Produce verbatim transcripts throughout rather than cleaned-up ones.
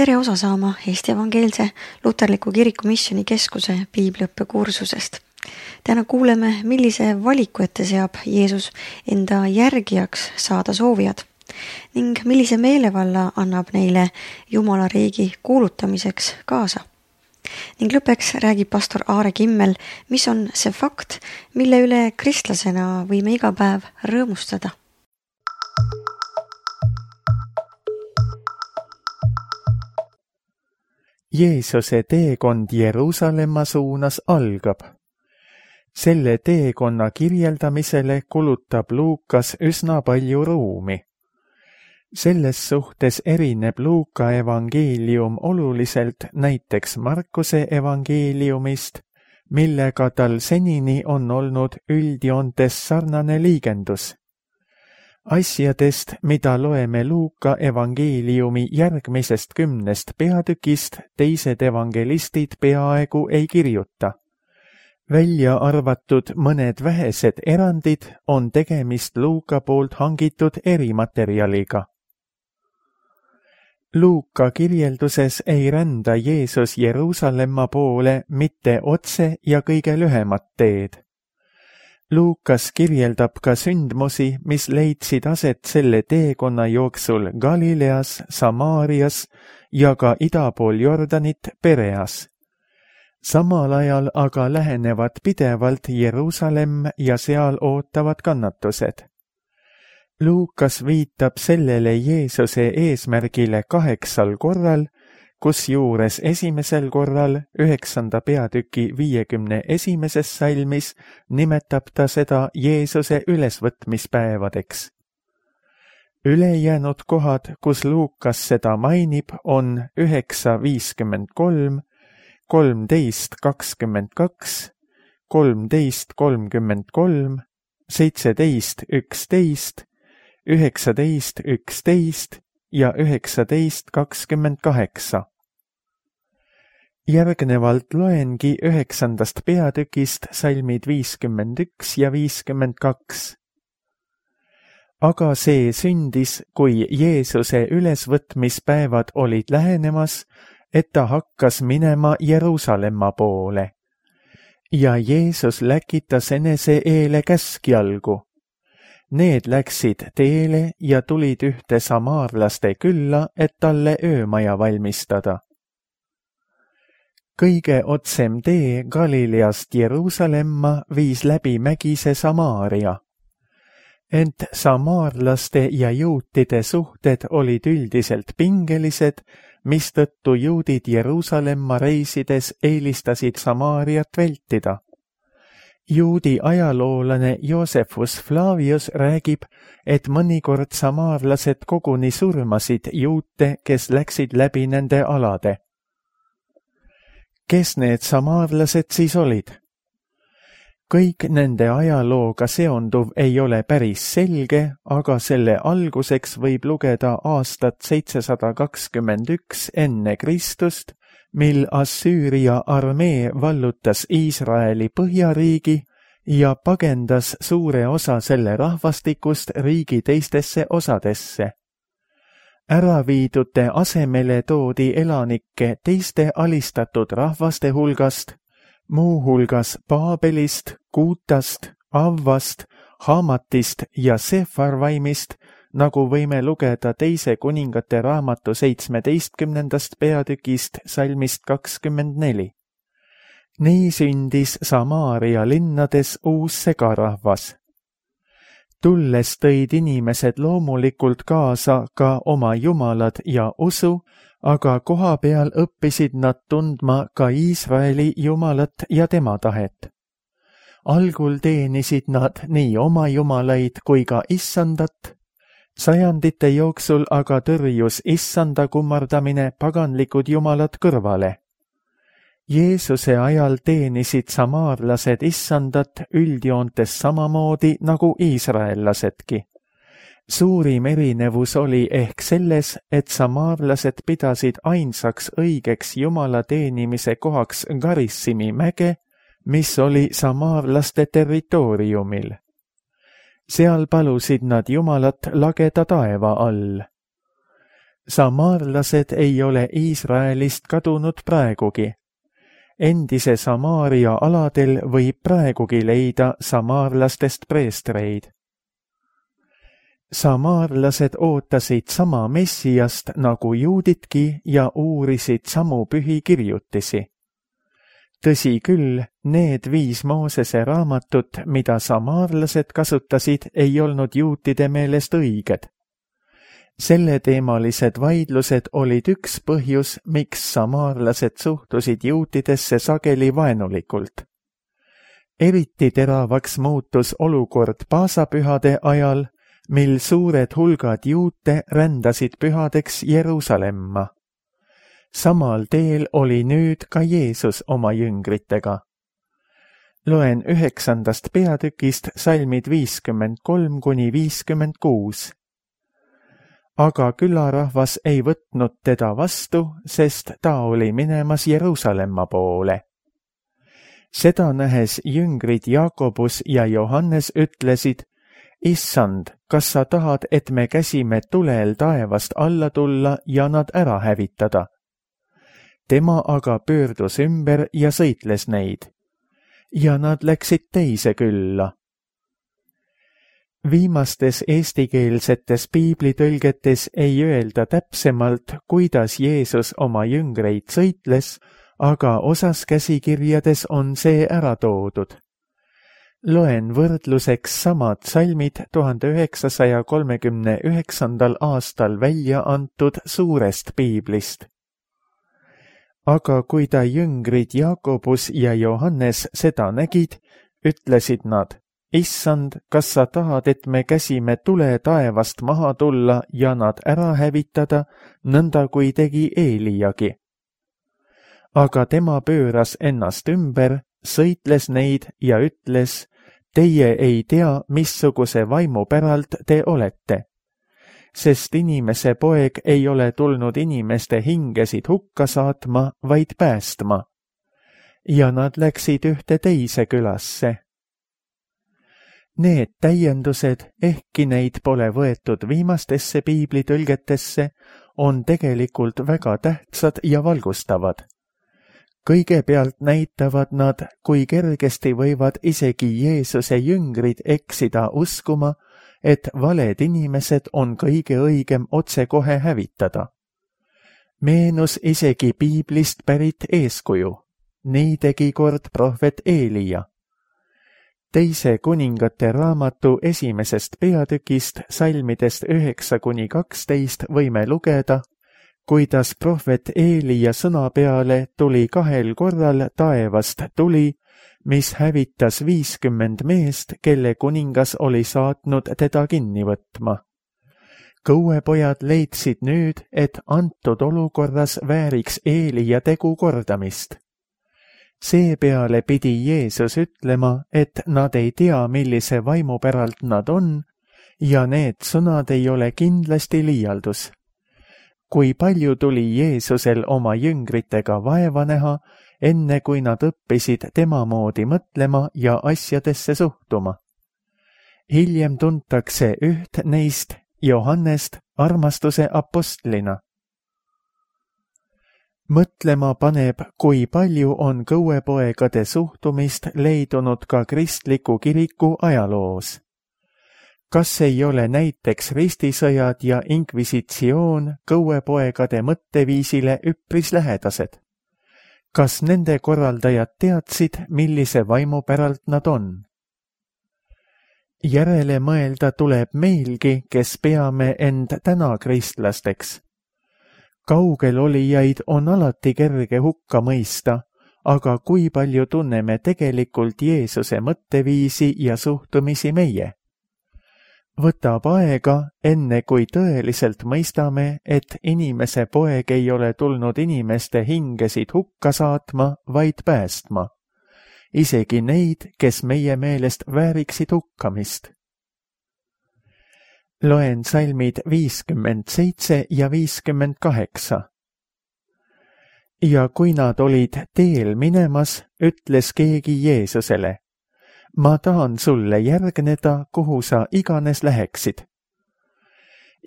Tere osa saama Eesti Evangeelse Luterliku Kiriku Missioni Keskuse piibliõppekursusest. Täna kuuleme, millise valiku ette seab Jeesus enda järgijaks saada soovijad ning millise meelevalla annab neile Jumala riigi kuulutamiseks kaasa. Ning lõpeks räägib pastor Aare Kimmel, mis on see fakt, mille üle kristlasena võime iga päev rõõmustada. Jeesuse teekond Jeruusalemma suunas algab. Selle teekonna kirjeldamisele kulutab Luukas üsna palju ruumi. Selles suhtes erineb Luuka evangeelium oluliselt näiteks Markuse evangeeliumist, millega tal senini on olnud üldjoontes sarnane liigendus. Asjadest, mida loeme Luuka evangeeliumi järgmisest kümnest peatükist, teised evangelistid peaaegu ei kirjuta. Välja arvatud mõned vähesed erandid on tegemist Luuka poolt hangitud erimaterjaliga. Luuka kirjelduses ei rända Jeesus Jeruusalemma poole mitte otse ja kõige lühemat teed. Luukas kirjeldab ka sündmusi, mis leidsid aset selle teekonna jooksul Galileas, Samaarias ja ka idapool Jordanit Pereas. Samal ajal aga lähenevad pidevalt Jeruusalemm ja seal ootavad kannatused. Luukas viitab sellele Jeesuse eesmärgile kaheksal korral, kusjuures esimesel korral, üheksanda peatüki viiekümne esimeses salmis, nimetab ta seda Jeesuse ülesvõtmispäevadeks. Ülejäänud kohad, kus Luukas seda mainib, on üheksa viiskümmend kolm, kolmteist kakskümmend kaks, kolmteist kolmkümmend kolm, seitseteist üksteist, üheksateist üksteist ja üheksateist kakskümmend kaheksa. Järgnevalt loengi üheksandast peatükist salmid viiskümmend üks ja viiskümmend kaks. Aga see sündis, kui Jeesuse ülesvõtmispäevad olid lähenemas, et ta hakkas minema Jeruusalemma poole. Ja Jeesus läkitas enese eele käskjalgu. Need läksid teele ja tulid ühte samaarlaste külla, et talle öömaja valmistada. Kõige otsem tee Galileast Jeruusalemma viis läbi mägise Samaaria. Ent samaarlaste ja juutide suhted olid üldiselt pingelised, mistõttu juudid Jeruusalemma reisides eelistasid Samaariat vältida. Juudi ajaloolane Joosefus Flavius räägib, et mõnikord samaarlased koguni surmasid juute, kes läksid läbi nende alade. Kes need samaarlased siis olid? Kõik nende ajalooga seonduv ei ole päris selge, aga selle alguseks võib lugeda aastat seitsesada kakskümmend üks enne Kristust, mil Assüüria armee vallutas Iisraeli põhjariigi ja pagendas suure osa selle rahvastikust riigi teistesse osadesse. Äraviidute asemele toodi elanikke teiste alistatud rahvaste hulgast, muu hulgas Paabelist, Kuutast, Avvast, Haamatist ja Sefarvaimist, nagu võime lugeda teise kuningate raamatu seitsmeteistkümnendast peatükist salmist kakskümmend neli. Nii sündis Samaaria linnades uus segarahvas. Tulles tõid inimesed loomulikult kaasa ka oma jumalad ja usu, aga koha peal õppisid nad tundma ka Iisraeli jumalat ja tema tahet. Algul teenisid nad nii oma jumalaid kui ka issandat, sajandite jooksul aga tõrjus issanda kummardamine paganlikud jumalad kõrvale. Jeesuse ajal teenisid samaarlased issandat üldjoontes samamoodi nagu iisraellasedki. Suurim erinevus oli ehk selles, et samaarlased pidasid ainsaks õigeks jumala teenimise kohaks Garissimi mäge, mis oli samaarlaste territooriumil. Seal palusid nad jumalat lageda taeva all. Samaarlased ei ole Iisraelist kadunud praegugi. Endise Samaaria aladel võib praegugi leida samaarlastest preestreid. Samaarlased ootasid sama messiast nagu juudidki ja uurisid samu pühi kirjutisi. Tõsi küll, need viis Moosese raamatut, mida samaarlased kasutasid, ei olnud juutide meelest õiged. Selleteemalised vaidlused olid üks põhjus, miks samaarlased suhtusid juutidesse sageli vaenulikult. Eriti teravaks muutus olukord paasapühade ajal, mil suured hulgad juute rändasid pühadeks Jeruusalemma. Samal teel oli nüüd ka Jeesus oma jüngritega. Loen üheksandast peatükist salmid viiskümmend kolm kuni viiskümmend kuus. Aga külarahvas ei võtnud teda vastu, sest ta oli minemas Jeruusalemma poole. Seda nähes jüngrid Jaakobus ja Johannes ütlesid, Issand, kas sa tahad, et me käsime tulel taevast alla tulla ja nad ära hävitada? Tema aga pöördus ümber ja sõitles neid. Ja nad läksid teise külla. Viimastes eestikeelsetes piiblitõlgetes ei öelda täpsemalt, kuidas Jeesus oma jüngreid sõitles, aga osas käsikirjades on see ära toodud. Loen võrdluseks samad salmid tuhande üheksasaja kolmekümne üheksandal aastal välja antud suurest piiblist. Aga kui ta jüngrid Jaakobus ja Johannes seda nägid, ütlesid nad, Issand, kas sa tahad, et me käsime tule taevast maha tulla ja nad ära hävitada, nõnda kui tegi Eeliagi. Aga tema pööras ennast ümber, sõitles neid ja ütles, teie ei tea, missuguse vaimu päralt te olete. Sest inimese poeg ei ole tulnud inimeste hingesid hukka saatma, vaid päästma. Ja nad läksid ühte teise külasse. Need täiendused, ehkki neid pole võetud viimastesse piiblitõlgetesse, on tegelikult väga tähtsad ja valgustavad. Kõigepealt näitavad nad, kui kergesti võivad isegi Jeesuse jüngrid eksida uskuma, et valed inimesed on kõige õigem otsekohe hävitada. Meenus isegi piiblist pärit eeskuju. Nii tegi kord prohvet Eelia. Teise kuningate raamatu esimesest peatükist salmidest üheksa kuni kaksteist võime lugeda, kuidas prohvet Eelia sõna peale tuli kahel korral taevast tuli, mis hävitas viiskümmend meest, kelle kuningas oli saatnud teda kinni võtma. Kõuepojad leidsid nüüd, et antud olukorras vääriks Eelia tegu kordamist. Seepeale pidi Jeesus ütlema, et nad ei tea, millise vaimu päralt nad on, ja need sõnad ei ole kindlasti liialdus. Kui palju tuli Jeesusel oma jüngritega vaeva näha, enne kui nad õppisid tema moodi mõtlema ja asjadesse suhtuma. Hiljem tuntakse üht neist, Johannest, armastuse apostlina. Mõtlema paneb, kui palju on kõuepoegade suhtumist leidunud ka kristliku kiriku ajaloos. Kas ei ole näiteks ristisõjad ja inkvisitsioon kõuepoegade mõtteviisile üpris lähedased? Kas nende korraldajad teadsid, millise vaimu päralt nad on? Järele mõelda tuleb meilgi, kes peame end täna kristlasteks. Kaugel olijaid on alati kerge hukka mõista, aga kui palju tunneme tegelikult Jeesuse mõtteviisi ja suhtumisi meie? Võtab aega, enne kui tõeliselt mõistame, et inimese poeg ei ole tulnud inimeste hingesid hukka saatma, vaid päästma. Isegi neid, kes meie meelest vääriksid hukkamist. Loen salmid viiskümmend seitse ja viiskümmend kaheksa. Ja kui nad olid teel minemas, ütles keegi Jeesusele, ma tahan sulle järgneda, kuhu sa iganes läheksid.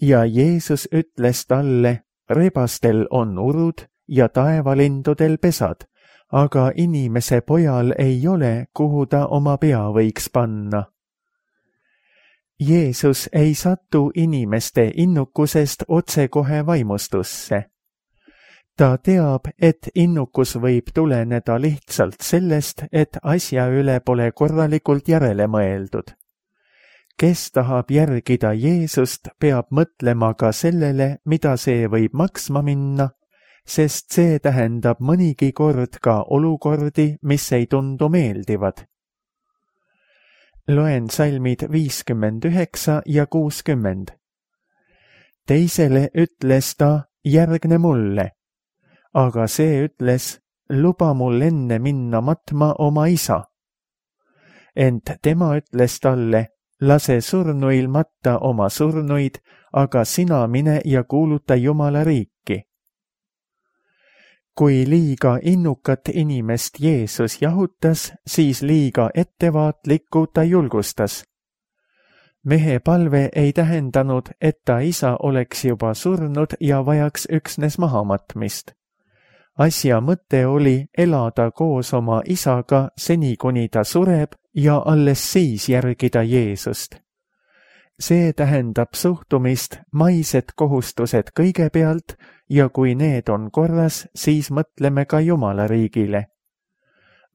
Ja Jeesus ütles talle, rebastel on urud ja taevalindudel pesad, aga inimese pojal ei ole, kuhu ta oma pea võiks panna. Jeesus ei satu inimeste innukusest otsekohe vaimustusse. Ta teab, et innukus võib tuleneda lihtsalt sellest, et asja üle pole korralikult järele mõeldud. Kes tahab järgida Jeesust, peab mõtlema ka sellele, mida see võib maksma minna, sest see tähendab mõnigi kord ka olukordi, mis ei tundu meeldivad. Loen salmid viiskümmend üheksa ja kuuskümmend. Teisele ütles ta, järgne mulle, aga see ütles, luba mul enne minna matma oma isa. Ent tema ütles talle, lase surnuil matta oma surnuid, aga sina mine ja kuuluta Jumala riiki. Kui liiga innukat inimest Jeesus jahutas, siis liiga ettevaatlikku ta julgustas. Mehe palve ei tähendanud, et ta isa oleks juba surnud ja vajaks üksnes mahamatmist. Asja mõte oli elada koos oma isaga seni, kuni ta sureb ja alles siis järgida Jeesust. See tähendab suhtumist, maised kohustused kõigepealt ja kui need on korras, siis mõtleme ka Jumala riigile.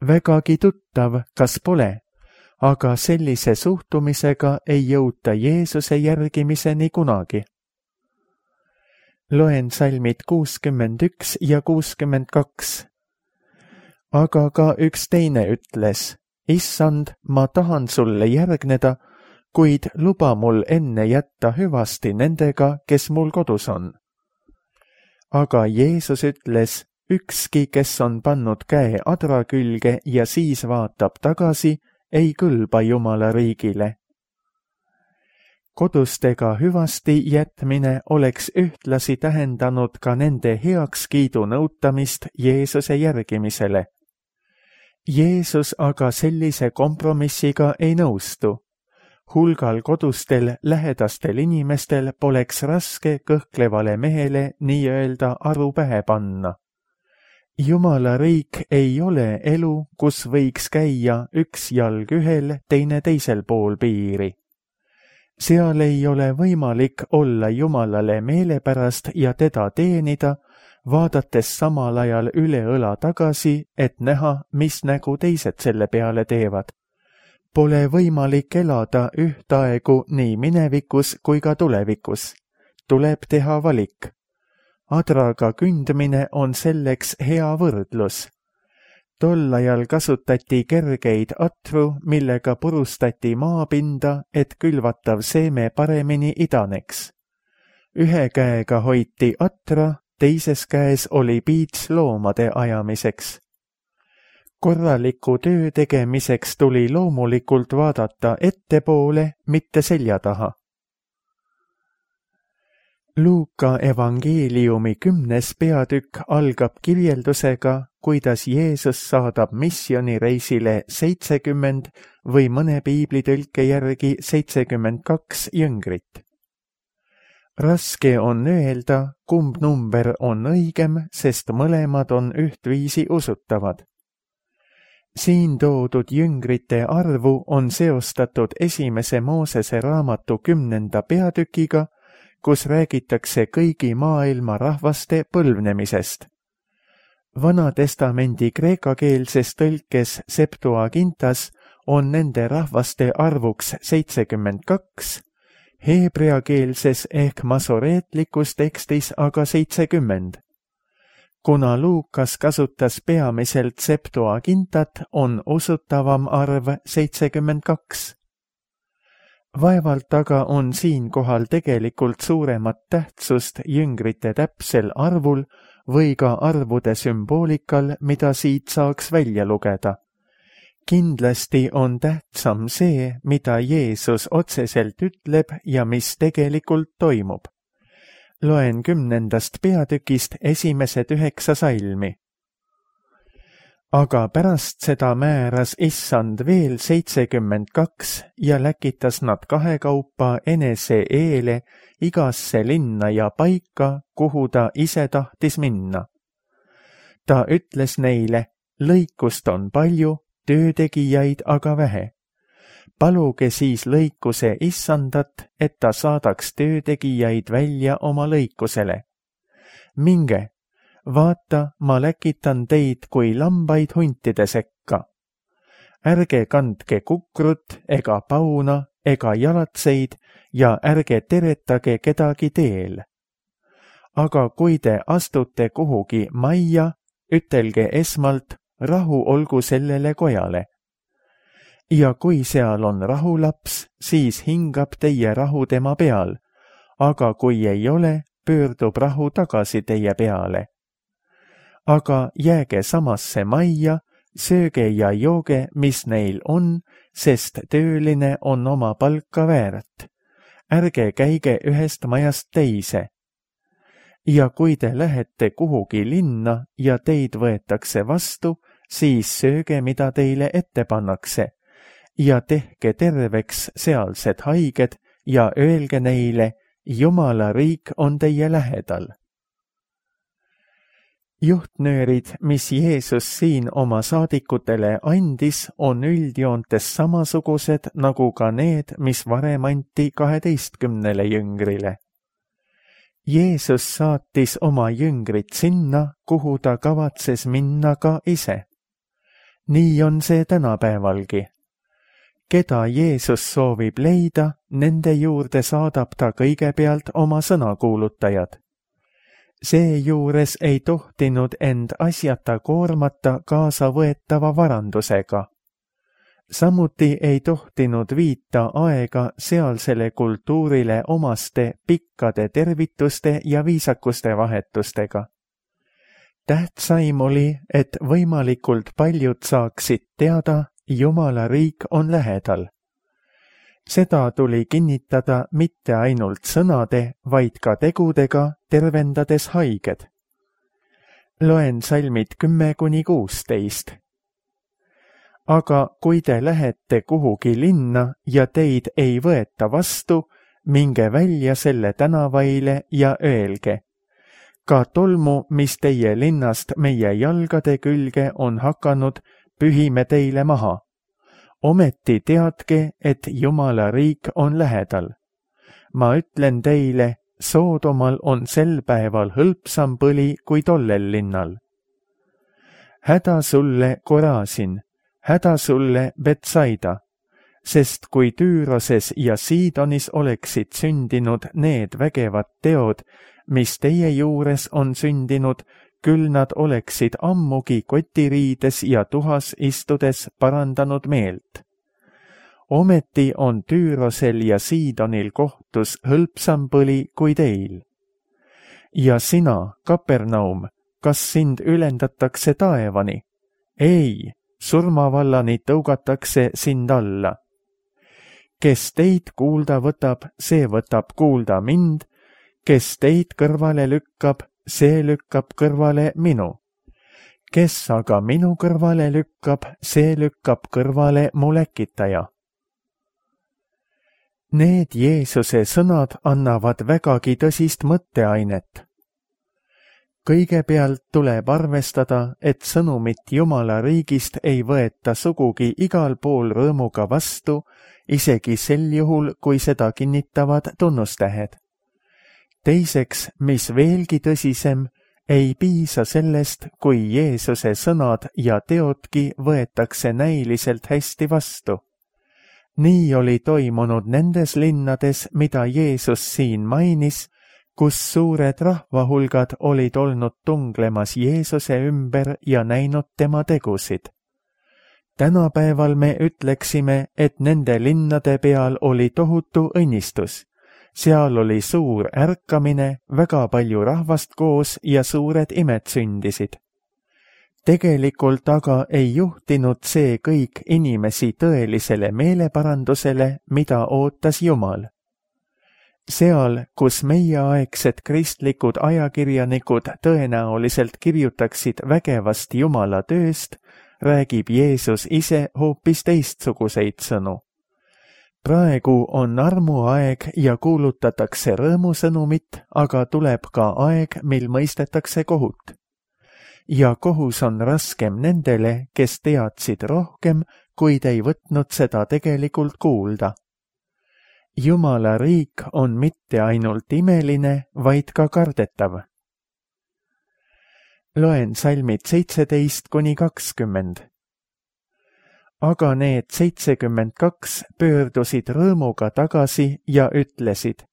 Vägagi tuttav, kas pole, aga sellise suhtumisega ei jõuta Jeesuse järgimiseni kunagi. Loen salmid kuuskümmend üks ja kuuskümmend kaks. Aga ka üks teine ütles, issand, ma tahan sulle järgneda, kuid luba mul enne jätta hüvasti nendega, kes mul kodus on. Aga Jeesus ütles, ükski, kes on pannud käe adra külge ja siis vaatab tagasi, ei kõlba Jumala riigile. Kodustega hüvasti jätmine oleks ühtlasi tähendanud ka nende heakskiidu nõutamist Jeesuse järgimisele. Jeesus aga sellise kompromissiga ei nõustu. Hulgal kodustel lähedastel inimestel poleks raske kõhklevale mehele nii-öelda aru pähe panna. Jumala riik ei ole elu, kus võiks käia üks jalg ühel, teine teisel pool piiri. Seal ei ole võimalik olla Jumalale meelepärast ja teda teenida, vaadates samal ajal üle õla tagasi, et näha, mis nägu teised selle peale teevad. Pole võimalik elada ühtaegu nii minevikus kui ka tulevikus. Tuleb teha valik. Adraga kündmine on selleks hea võrdlus. Tol ajal kasutati kergeid atru, millega purustati maapinda, et külvatav seeme paremini idaneks. Ühe käega hoiti atra, teises käes oli piits loomade ajamiseks. Korraliku töö tegemiseks tuli loomulikult vaadata ettepoole, mitte selja taha. Luuka evangeeliumi kümnes peatükk algab kirjeldusega, kuidas Jeesus saadab missioonireisile seitsekümmend või mõne piiblitõlke järgi seitsekümmend kaks jüngrit. Raske on öelda, kumb number on õigem, sest mõlemad on ühtviisi usutavad. Siin toodud jüngrite arvu on seostatud esimese Moosese raamatu kümnenda peatükiga, kus räägitakse kõigi maailma rahvaste põlvnemisest. Vanatestamendi kreekakeelses tõlkes Septuagintas on nende rahvaste arvuks seitsekümmend kaks, heebreakeelses ehk masoreetlikus tekstis aga seitsekümmend. Kuna Luukas kasutas peamiselt Septuagintat, on usutavam arv seitsekümmend kaks. Vaevalt aga on siinkohal tegelikult suuremat tähtsust jüngrite täpsel arvul või ka arvude sümboolikal, mida siit saaks välja lugeda. Kindlasti on tähtsam see, mida Jeesus otseselt ütleb ja mis tegelikult toimub. Loen kümnendast peatükist esimesed üheksa salmi. aga pärast seda määras issand veel seitsekümmend kaks ja läkitas nad kahekaupa enese eele igasse linna ja paika, kuhu ta ise tahtis minna. Ta ütles neile, lõikust on palju, töötegijaid aga vähe. Paluge siis lõikuse issandat, et ta saadaks töötegijaid välja oma lõikusele. Minge, vaata, ma läkitan teid kui lambaid huntide sekka. Ärge kandke kukrut ega pauna ega jalatseid ja ärge teretage kedagi teel. Aga kui te astute kuhugi majja, ütelge esmalt, rahu olgu sellele kojale. Ja kui seal on rahulaps, siis hingab teie rahu tema peal, aga kui ei ole, pöördub rahu tagasi teie peale. Aga jääge samasse majja, sööge ja jooge, mis neil on, sest tööline on oma palka väärt. Ärge käige ühest majast teise. Ja kui te lähete kuhugi linna ja teid võetakse vastu, siis sööge, mida teile ette pannakse, ja tehke terveks sealsed haiged ja öelge neile, Jumala riik on teie lähedal. Juhtnöörid, mis Jeesus siin oma saadikutele andis, on üldjoontes samasugused nagu ka need, mis varem anti kaheteistkümnele jüngrile. Jeesus saatis oma jüngrid sinna, kuhu ta kavatses minna ka ise. Nii on see tänapäevalgi. Keda Jeesus soovib leida, nende juurde saadab ta kõigepealt oma sõnakuulutajad. Seejuures ei tohtinud end asjata koormata kaasa võetava varandusega. Samuti ei tohtinud viita aega sealsele kultuurile omaste pikkade tervituste ja viisakuste vahetustega. Tähtsaim oli, et võimalikult paljud saaksid teada, Jumala riik on lähedal. Seda tuli kinnitada mitte ainult sõnade, vaid ka tegudega, tervendades haiged. Loen salmid kümme kuni kuusteist. Aga kui te lähete kuhugi linna ja teid ei võeta vastu, minge välja selle tänavaile ja öelge. Ka tolmu, mis teie linnast meie jalgade külge on hakanud, pühime teile maha. Ometi teadke, et Jumala riik on lähedal. Ma ütlen teile, Soodomal on sel päeval hõlpsam põli kui tollel linnal. Häda sulle, Korasin, häda sulle, Betsaida, sest kui Tüüroses ja Siidonis oleksid sündinud need vägevad teod, mis teie juures on sündinud, küll nad oleksid ammugi kotiriides ja tuhas istudes parandanud meelt. Ometi on Tüürosel ja Siidonil kohtus hõlpsam põli kui teil. Ja sina, Kapernaum, kas sind ülendatakse taevani? Ei, surmavallani tõugatakse sind alla. Kes teid kuulda võtab, see võtab kuulda mind, kes teid kõrvale lükkab, see lükkab kõrvale minu. Kes aga minu kõrvale lükkab, see lükkab kõrvale mu läkitaja. Need Jeesuse sõnad annavad vägagi tõsist mõtteainet. Kõigepealt tuleb arvestada, et sõnumit Jumala riigist ei võeta sugugi igal pool rõõmuga vastu, isegi sel juhul, kui seda kinnitavad tunnustähed. Teiseks, mis veelgi tõsisem, ei piisa sellest, kui Jeesuse sõnad ja teodki võetakse näiliselt hästi vastu. Nii oli toimunud nendes linnades, mida Jeesus siin mainis, kus suured rahvahulgad olid olnud tunglemas Jeesuse ümber ja näinud tema tegusid. Tänapäeval me ütleksime, et nende linnade peal oli tohutu õnnistus. Seal oli suur ärkamine, väga palju rahvast koos ja suured imed sündisid. Tegelikult aga ei juhtinud see kõik inimesi tõelisele meeleparandusele, mida ootas Jumal. Seal, kus meieaegsed kristlikud ajakirjanikud tõenäoliselt kirjutaksid vägevast Jumala tööst, räägib Jeesus ise hoopis teistsuguseid sõnu. Praegu on armuaeg ja kuulutatakse rõõmusõnumit, aga tuleb ka aeg, mil mõistetakse kohut. Ja kohus on raskem nendele, kes teadsid rohkem, kuid ei võtnud seda tegelikult kuulda. Jumala riik on mitte ainult imeline, vaid ka kardetav. Loen salmid seitseteist kuni kakskümmend. Aga need seitsekümmend kaks pöördusid rõõmuga tagasi ja ütlesid,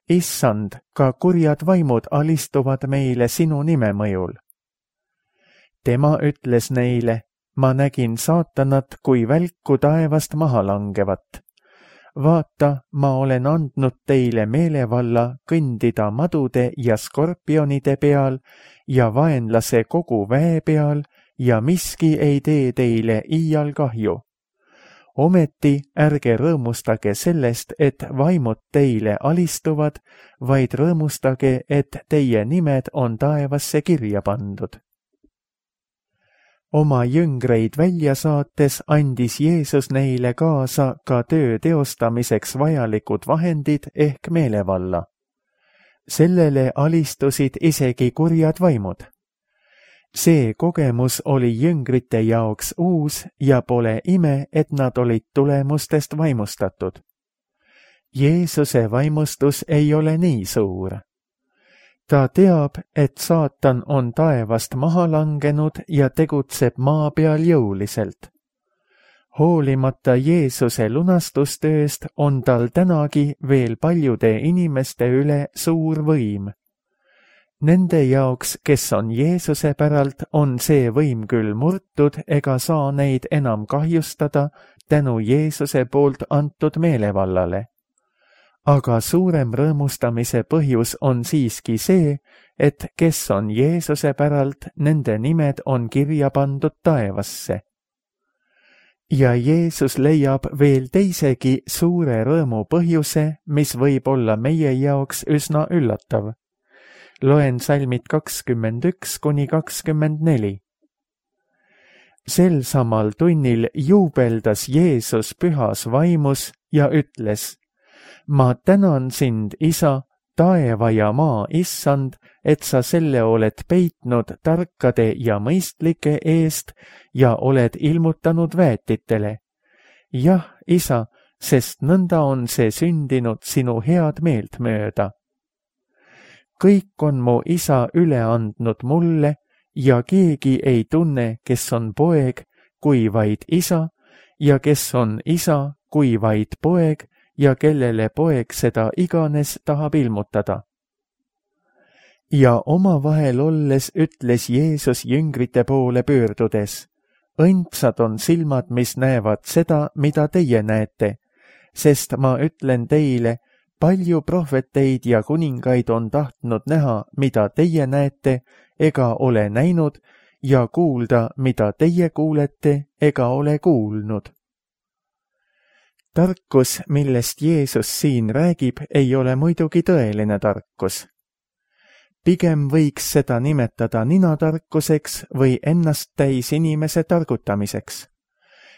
Issand, ka kurjad vaimud alistuvad meile sinu nime mõjul. Tema ütles neile, ma nägin saatanat kui välku taevast maha langevat. Vaata, ma olen andnud teile meelevalla kõndida madude ja skorpionide peal ja vaenlase kogu väe peal ja miski ei tee teile iial kahju. Ometi ärge rõõmustage sellest, et vaimud teile alistuvad, vaid rõõmustage, et teie nimed on taevasse kirja pandud. Oma jüngreid välja saates andis Jeesus neile kaasa ka töö teostamiseks vajalikud vahendid ehk meelevalla. Sellele alistusid isegi kurjad vaimud. See kogemus oli jüngrite jaoks uus ja pole ime, et nad olid tulemustest vaimustatud. Jeesuse vaimustus ei ole nii suur. Ta teab, et saatan on taevast maha langenud ja tegutseb maa peal jõuliselt. Hoolimata Jeesuse lunastustööst on tal tänagi veel paljude inimeste üle suur võim. Nende jaoks, kes on Jeesuse päralt, on see võim küll murtud ega saa neid enam kahjustada tänu Jeesuse poolt antud meelevallale. Aga suurem rõõmustamise põhjus on siiski see, et kes on Jeesuse päralt, nende nimed on kirja pandud taevasse. Ja Jeesus leiab veel teisegi suure rõõmu põhjuse, mis võib olla meie jaoks üsna üllatav. Loen salmid kakskümmend üks kuni kakskümmend neli. Sel samal tunnil juubeldas Jeesus pühas vaimus ja ütles, ma tänan sind, Isa, taeva ja maa Issand, et sa selle oled peitnud tarkade ja mõistlike eest ja oled ilmutanud väetitele. Jah, Isa, sest nõnda on see sündinud sinu head meelt mööda. Kõik on mu Isa üle andnud mulle ja keegi ei tunne, kes on poeg, kui vaid Isa, ja kes on Isa, kui vaid poeg, ja kellele poeg seda iganes tahab ilmutada. Ja omavahel olles ütles Jeesus jüngrite poole pöördudes, õndsad on silmad, mis näevad seda, mida teie näete, sest ma ütlen teile, palju prohveteid ja kuningaid on tahtnud näha, mida teie näete, ega ole näinud, ja kuulda, mida teie kuulete, ega ole kuulnud. Tarkus, millest Jeesus siin räägib, ei ole muidugi tõeline tarkus. Pigem võiks seda nimetada ninatarkuseks või ennast täis inimese targutamiseks.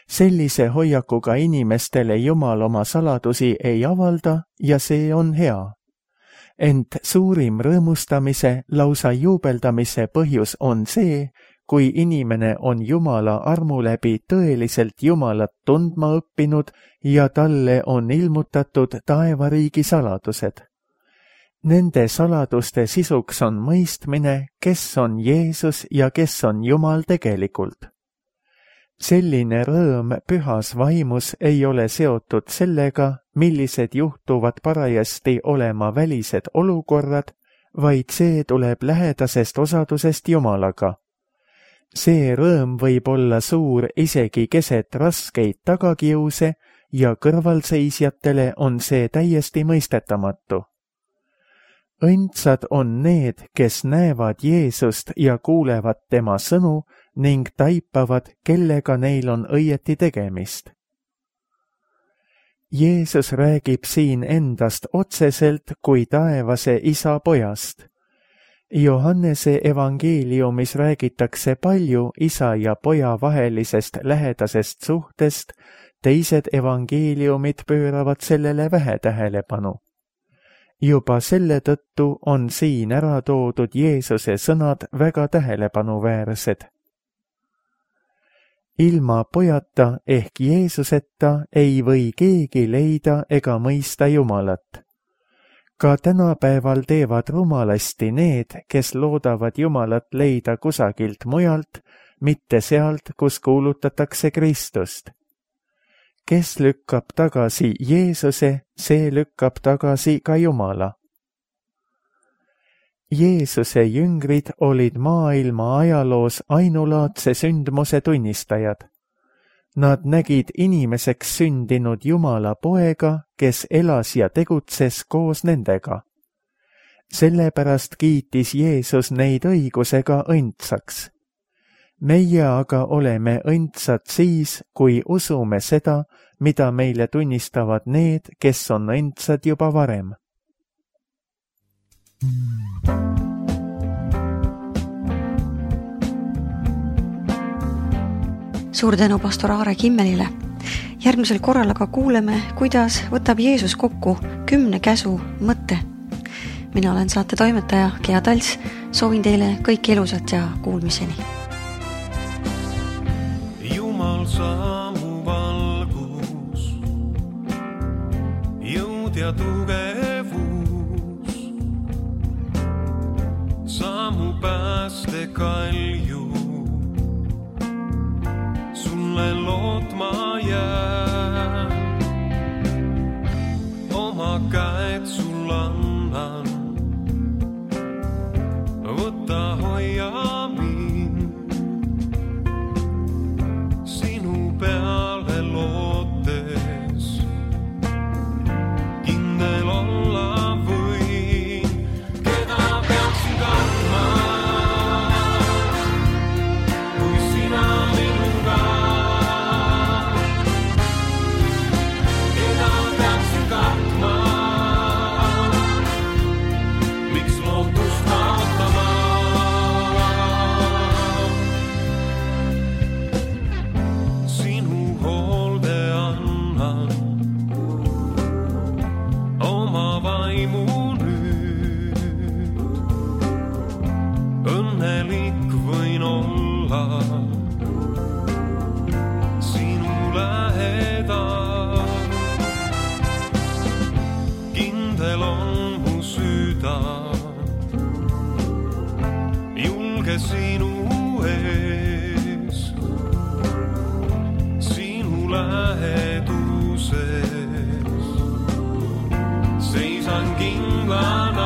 Sellise hoiakuga inimestele Jumal oma saladusi ei avalda ja see on hea. Ent suurim rõõmustamise, lausa juubeldamise põhjus on see, kui inimene on Jumala armu läbi tõeliselt Jumalat tundma õppinud ja talle on ilmutatud taevariigi saladused. Nende saladuste sisuks on mõistmine, kes on Jeesus ja kes on Jumal tegelikult. Selline rõõm pühas vaimus ei ole seotud sellega, millised juhtuvad parajasti olema välised olukorrad, vaid see tuleb lähedasest osadusest Jumalaga. See rõõm võib olla suur isegi keset raskeid tagakiuse ja kõrvalseisjatele on see täiesti mõistetamatu. Õndsad on need, kes näevad Jeesust ja kuulevad tema sõnu ning taipavad, kellega neil on õieti tegemist. Jeesus räägib siin endast otseselt kui taevase Isa pojast. Johannese evangeeliumis räägitakse palju isa ja poja vahelisest lähedasest suhtest, teised evangeeliumid pööravad sellele vähe tähelepanu. Juba selle tõttu on siin ära toodud Jeesuse sõnad väga tähelepanuväärsed. Ilma pojata ehk Jeesuseta ei või keegi leida ega mõista Jumalat. Ka tänapäeval teevad rumalasti need, kes loodavad Jumalat leida kusagilt mujalt, mitte sealt, kus kuulutatakse Kristust. Kes lükkab tagasi Jeesuse, see lükkab tagasi ka Jumala. Jeesuse jüngrid olid maailma ajaloos ainulaadse sündmuse tunnistajad. Nad nägid inimeseks sündinud Jumala poega, kes elas ja tegutses koos nendega. Sellepärast kiitis Jeesus neid õigusega õndsaks. Meie aga oleme õndsad siis, kui usume seda, mida meile tunnistavad need, kes on õndsad juba varem. Suur tänu pastor Aare Kimmelile. Järgmisel korral aga kuuleme, kuidas võtab Jeesus kokku kümne käsu mõtte. Mina olen saate toimetaja Gea Talts. Soovin teile kõik elusat ja kuulmiseni. Jumal saamu valgus, jõud ja tugevus, saamu pääste kalju. Sulle lootma jää, oma käed sul annan, võta hoia mind, sinu peale lootes, kindel olla võin, keda peaksin kartma, kui sina minuga. Õnnelik võin olla sinu lähedal, kindel on mu süda, julge sinu ees, sinu läheduses, seisan kindlana.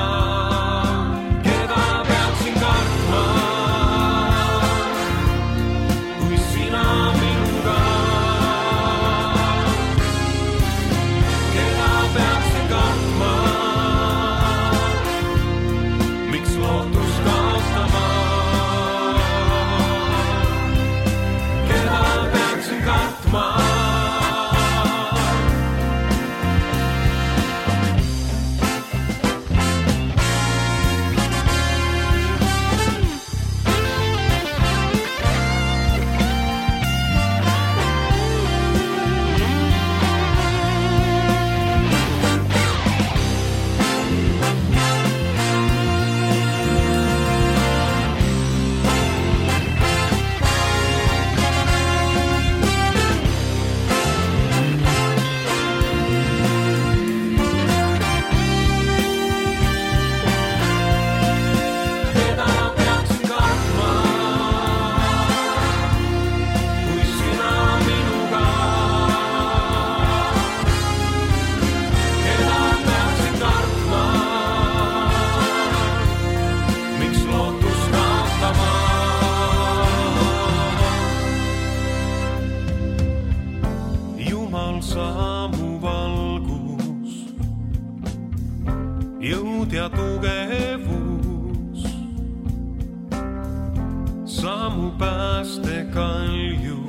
Saamu valgus, jõud ja tugevus, saamu pääste kalju.